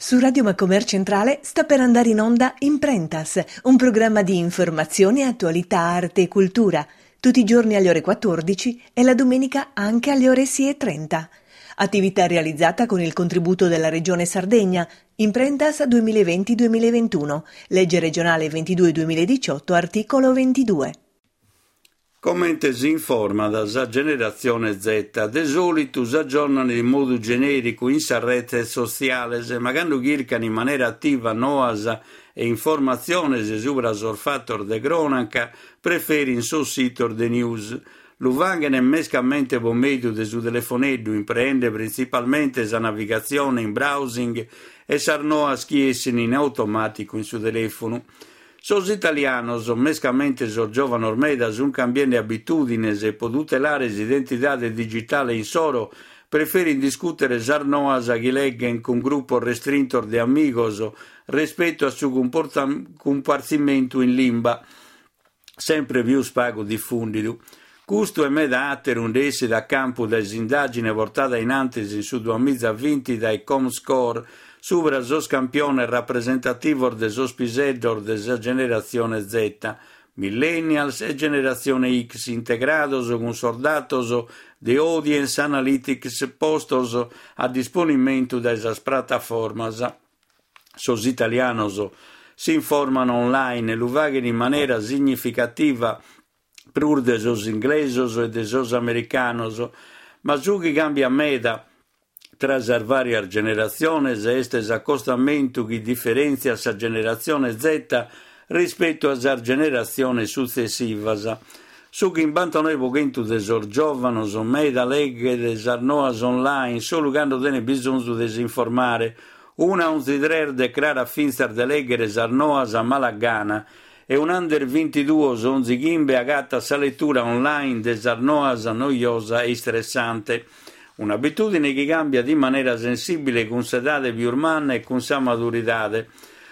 Su Radio Macomer Centrale sta per andare in onda Imprentas, un programma di informazione, attualità, arte e cultura, tutti i giorni alle ore 14 e la domenica anche alle ore 6.30. Attività realizzata con il contributo della Regione Sardegna, Imprentas 2020-2021, legge regionale 22-2018, articolo 22. Comente si informat sa generatzione Z, de sòlitu s'agiornan in modu genèricu in sas retes sotziales, ma cando chircan in manera ativa noas e informatziones subra sos fatos de crònaca, preferin sos sitos de news. Lu faghen mescamente pro mèdiu de su telefoneddu, impreende printzipalmente sa navigatzione in browsing e sas noas chi essin in automàticu in su telèfonu. Sos italianos, mescamente sos giòvanos meda, sunt cambiende abitùdines e pro tutelare s'identidade digitale insoro preferint discùtere sas noas chi leghent cun grupos restrintos de amigos respetu a su cumpartzimentu in limba, sempre pius pagu difùndidu. Custu e meda àteru nde essit a campu dae s'indàgine portada in antis in su duamizavinti dae Comscore subra sos campiones rapresentativos de sos piseddos de sa generatzione Z, Millennials e generatzione X integrados cun sos datos de Audience Analytics postos a disponimentu dae sas prataformas. Sos italianos s'informan online e lu faghen in manera significativa prus de sos inglesos e de sos americanos, ma su chi càmbiat meda tra sas vàrias generatziones est s'acostamentu chi diferèntziat sa generatzione Z rispetu a sas generatziones sutzessivas. Su chimbantanoe pro chentu de sos giòvanos meda leghet sas noas online solu cando tenet bisonzu de s'informare. Una onzi tres decrarat fintzas de lèghere sas noas a mala gana E un'under bintiduos onzi chimbe agatat sa letura online de sas noas noiosa e istressante. Un'abitùdine chi càmbiat in manera sensìbile cun s'edade pius manna e cun sa maduridade.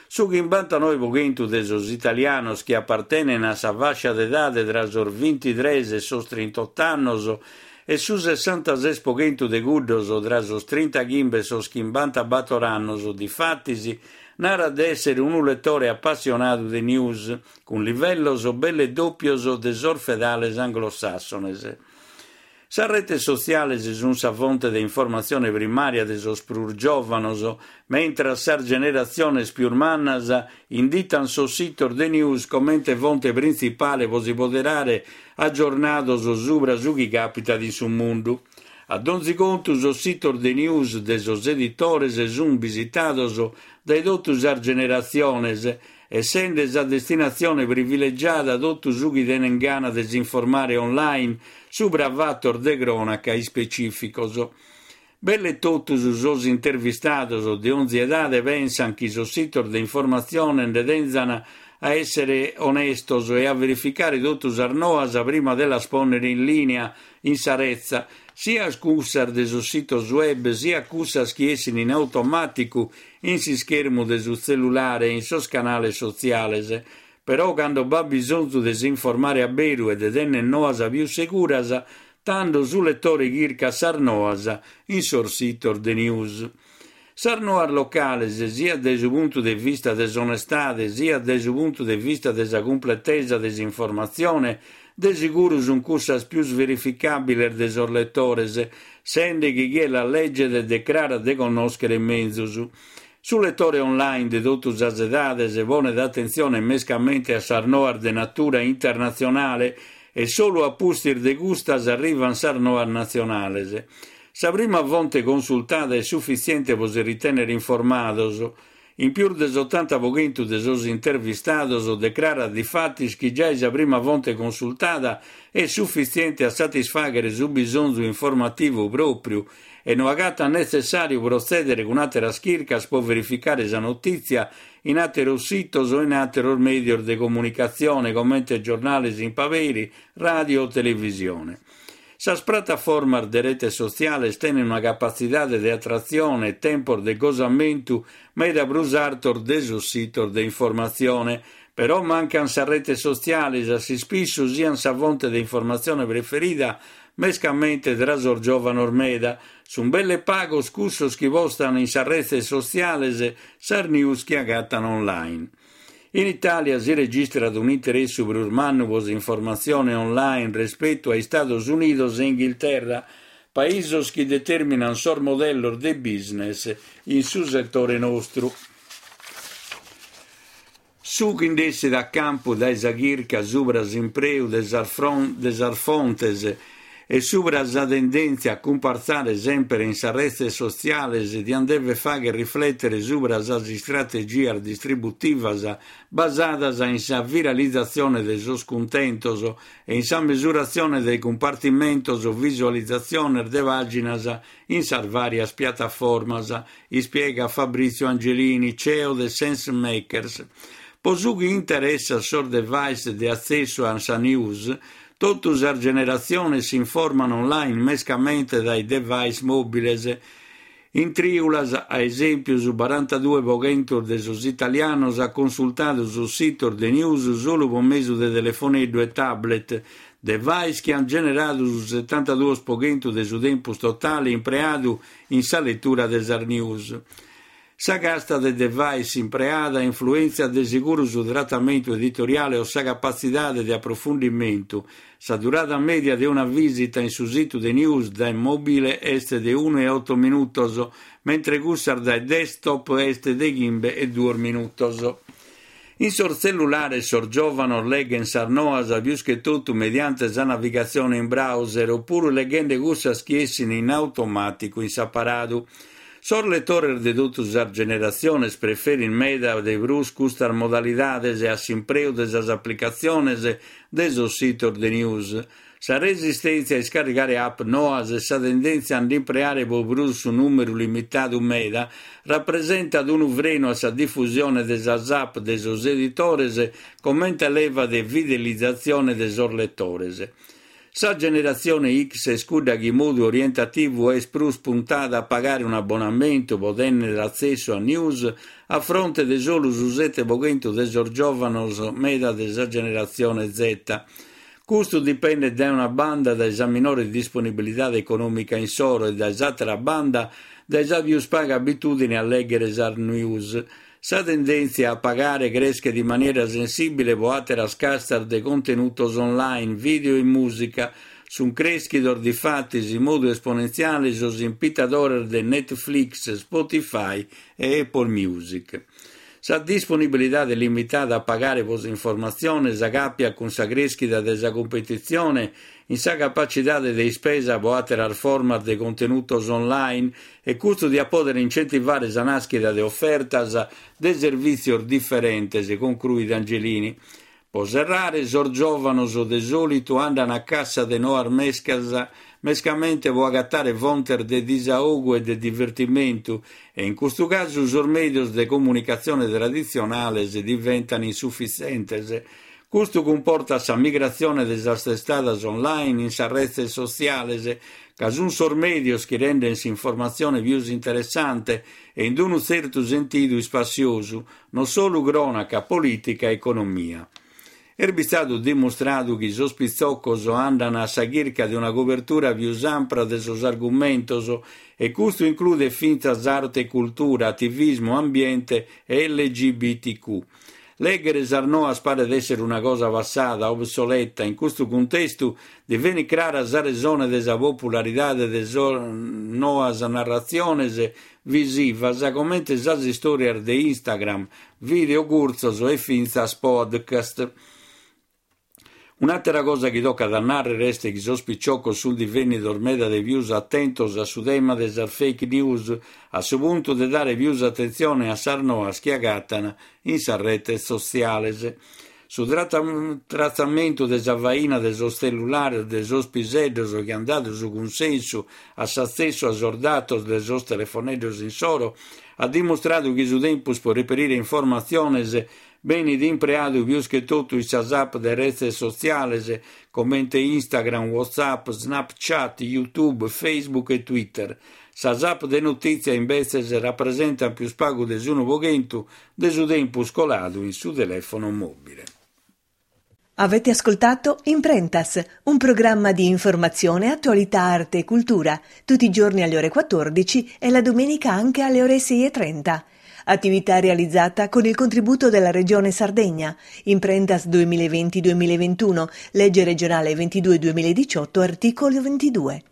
Su chimbantanoe pro chentu de sos italianos chi apartenen a sa fàscia d'edade tra sos bintitres e sos trintot'annos e su sessantases pro chentu de cuddos tra sos trintachimbe e sos chimbantabator annos, difatis, Narat de èssere unu letore apassionadu de news, cun livellos belle dòpios de sos fedales anglosàssones. Sas retes sotziales sunt sa fonte de informatzione primària de sos prus giòvanos, mentras sas generatziones pius mannas inditant sos sitos de news comente fonte printzipale pro si poderare agiornados subra su chi càpitat in su mundu. A donzi contu sos sitos de news de sos editores sunt bisitados dae totu sas generatziones, essende sa destinatzione privilegiada totu su chi tenent gana de s'informare online subra fatos de crònaca ispecìficos. Belle totus sos intervistados de onzi edade pensant chi sos sitos de informatzione nde tenzan a èssere onestos e a verificare totu sas noas prima de las pònnere in lìnia in sa retza, siat cussas de sos sitos web, siat cussas chi essin in automàticu in s'ischermu de su tzellulare e in sos canales sotziales. Però cando b'at bisonzu de s'informare a beru e de tenner noas pius seguras, tando su letore chircat sas noas in sos sitos de news. Sas noas locales, siat dae su puntu de vista de s'onestade, siat dae su puntu de vista de sa cumpletesa de s'informatzione, de seguru sunt cussas pius verificàbiles de sos letores, sende chi chie las leget decrarat de connòschere menzus. Su letore online de totu sas edades ponet atentzione mescamente a sas noas de natura internatzionale e solu a pustis de custas arrivant sas noas natzionales. Sa prima fonte consultada est sufitziente pro si ritènnere informados. In pius de s'otanta pro chentu de sos intervistados decrarat difatis chi giai sa prima fonte consultada est sufitziente a satisfàghere su bisonzu informativu pròpriu e no agatat netzessàriu protzèdere cun àteras chircas pro verificare sa notìtzia in àteros sitos o in àteros mèdios de comunicatzione comente giornales in paberi, ràdio o televisione. Sas prataformas de retes sotziales tenen una capatzidade de atratzione e tempos de gosamentu meda prus artos de sos sitos de informatzione. Però mancan sas retes sotziales a s'ispissu sian sa fonte de informatzione preferida. mescamente tra sos giòvanos meda. Sunt belle pagos cussos chi postan in sas retzes sotziales sas news chi agatan online. In Itàlia si registrat un'interessu prus mannu pro s'informatzione online respetu a Istados Unidos e Inghilterra, paisos chi determinan sos modellos de business in su setore nostru. Su chi nd'essit a campu dae sa chirca subra s'impreu de sas de sas fontes e subra sa tendèntzia a cumpartzare semper in sas retzes sotziales diant dever fagher riflètere subra sas istrategias distributivas basadas in sa viralizatzione de sos cuntentos e in sa mesuratzione de cumpartimentos o visualizatziones de pàginas in sas vàrias piataformas, ispiegat Fabrizio Angelini, ceo de Sensemakers. Pro su chi interessat sos device de atzessu a sa news, totu sas generatziones s'informan online mescamente dae device mòbiles. In trìulas, a esèmpiu, su barantaduos pro chentu de sos italianos at consultadu sos sitos de news solu pro mesu de telefoneddu e tablet, device chi ant generadu su setantaduos pro chentu de su tempus totale impreadu in sa letura de sas news. Sa casta de device impreada influèntziat de seguru su tratamentu editoriale o sa capatzidade de aprofundimentu. Sa durada mèdia de una vìsita in su situ de news dae mòbile est de unu e oto minutos, mentre cussas dae desktop est de chimbe e duos minutos. In sos tzellulares sos giòvanos leghent sas noas pius che totu mediante sa navigatzione in browser opuru leghende cussas chi essin in automàticu in s'aparadu. Sos letores de totu sas generatziones preferin meda de prus custas modalidades a s'impreu de sas aplicatziones de sos sitos de news. Sa resistèntzia a iscarrigare app noas e sa tendèntzia a nd'impreare pro prus su nùmeru limitadu meda rapresentat unu frenu a sa difusione de sas app de sos editores comente leva de fidelizatzione de sos letores. Sa generatzione X est cudda chi in modu orientativu est prus puntada a pagare un'abbonamentu pro tènnere atzessu a news a fronte de solu su sete pro chentu de sos giòvanos meda de sa generatzione Z. Custu dipendet dae una banda dae sa minore disponibilidade econòmica insoro e dae s'àtera banda dae sa pius paga abitùdine a lèghere sas news. Sa tendèntzia a pagare creschet in manera sensìbile pro àteras castas de contenutos online, video e mùsica. Sunt crèschidos difatis in modu esponentziale sos impitadores de Netflix, Spotify e Apple Music. Sa disponibilidade limitada a pagare pro s'informatzione s'acàpiat cun sa crèschida de sa cumpetitzione in sa capacidade de ispesa pro àteras formas de contenutos online e custu diat pòdere incentivare sa nàschida de ofertas de servìtzios diferentes, concruit Angelini. Pro serrare, sos giòvanos de sòlitu andan a cassa de noas mescas, mescamente pro agatare fontes de disaogu e de divertimentu e in custu casu sos mèdios de comunicatzione traditzionales diventan insufitzentes. Custu cumportat sa migratzione de sas testadas online in sas retzes sotziales, ca sunt sos mèdios chi renden s'informatzione pius interessante e in unu tzertu sentidu ispassiosu, non solu crònaca, polìtica e economia. Est bistadu dimustradu chi sos pitzocos andan a sa chirca de una cobertura pius ampra de sos argumentos e custu includet fintzas arte e cultura, ativismu, ambiente e LGBTQ. Lèghere sas noas paret èssere una cosa passada, obsoleta, in custu cuntestu divenit crara sa resone de sa popularidade de sas noas narratziones visivas comente sas istòrias de Instagram, vìdeo curtzos e fintzas podcast. Un'àtera cosa chi tocat a nàrrere est chi sos piciocos sunt divènnidos meda de pius atentos a su tema de sas fake news, a su puntu de dare pius atentzione a sas noas chi agatan in sas retes sotziales. Su tratzamentu de sa faina de sos tzellulares de sos piseddos chi ant dadu su cunsensu a s'atzessu a sos datos de sos telefoneddos insoro at dimustradu chi su tempus pro reperire informatziones Benit impreadu pius che totu in sas app de retzes sotziales comente Instagram, WhatsApp, Snapchat, YouTube, Facebook e Twitter. Sas app de notìtzia imbetzes rapresentant pius pagu de s'unu pro chentu de su tempus coladu in su telèfono mòbile. Avete ascoltato Imprentas, un programma di informazione, attualità, arte e cultura, tutti i giorni alle ore 14 e la domenica anche alle ore 6.30. Attività realizzata con il contributo della Regione Sardegna. Imprentas 2020-2021, legge regionale 22-2018, articolo 22.